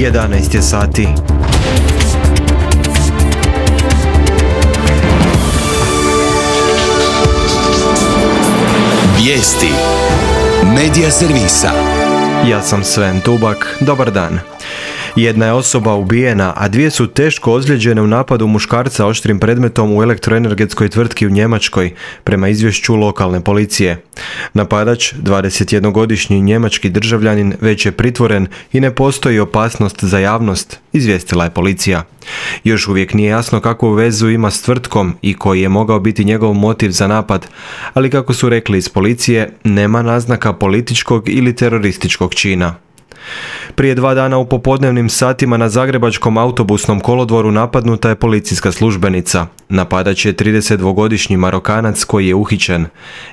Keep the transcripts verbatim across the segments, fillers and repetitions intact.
jedanaest je sati. Vijesti Medija servisa. Ja sam Sven Tubak, dobar dan. Jedna je osoba ubijena, a dvije su teško ozlijeđene u napadu muškarca oštrim predmetom u elektroenergetskoj tvrtki u Njemačkoj, prema izvješću lokalne policije. Napadač, dvadesetjednogodišnji njemački državljanin, već je pritvoren i ne postoji opasnost za javnost, izvijestila je policija. Još uvijek nije jasno kakvu vezu ima s tvrtkom i koji je mogao biti njegov motiv za napad, ali kako su rekli iz policije, nema naznaka političkog ili terorističkog čina. Prije dva dana u popodnevnim satima na zagrebačkom autobusnom kolodvoru napadnuta je policijska službenica. Napadač je tridesetdvogodišnji Marokanac koji je uhićen.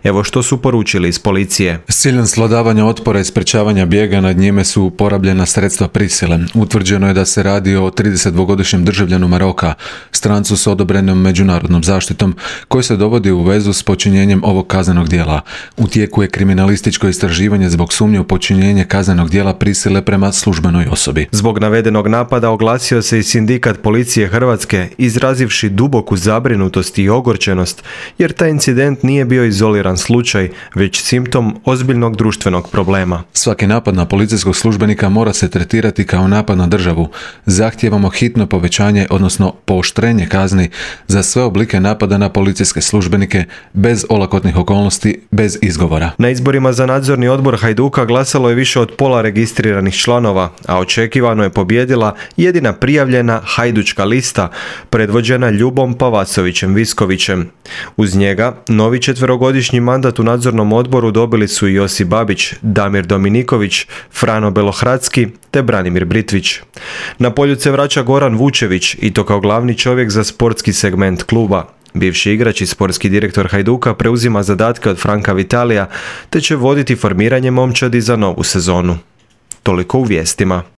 Evo što su poručili iz policije. S ciljem svladavanja otpora i sprečavanja bijega nad njime su uporabljena sredstva prisile. Utvrđeno je da se radi o tridesetdvogodišnjem državljanu Maroka, strancu s odobrenom međunarodnom zaštitom, koji se dovodi u vezu s počinjenjem ovog kaznenog djela. U tijeku je kriminalističko istraživanje zbog sumnje u počinjenje kaznenog djela prisile prema službenoj osobi. Zbog navedenog napada oglasio se i sindikat policije Hrvatske, izrazivši duboku zabrinutost i ogorčenost, jer taj incident nije bio izoliran slučaj, već simptom ozbiljnog društvenog problema. Svaki napad na policijskog službenika mora se tretirati kao napad na državu. Zahtijevamo hitno povećanje, odnosno pooštrenje kazni za sve oblike napada na policijske službenike, bez olakotnih okolnosti, bez izgovora. Na izborima za nadzorni odbor Hajduka glasalo je više od pola registriranih članova, a očekivano je pobijedila jedina prijavljena hajdučka lista, predvođena Ljubom Pavasovićem Viskovićem. Uz njega, novi četverogodišnji mandat u nadzornom odboru dobili su Josip Babić, Damir Dominiković, Frano Belohradski te Branimir Britvić. Na poljuce vraća Goran Vučević i to kao glavni čovjek za sportski segment kluba. Bivši igrač i sportski direktor Hajduka preuzima zadatke od Franka Vitalija te će voditi formiranje momčadi za novu sezonu. Toliko u vijestima.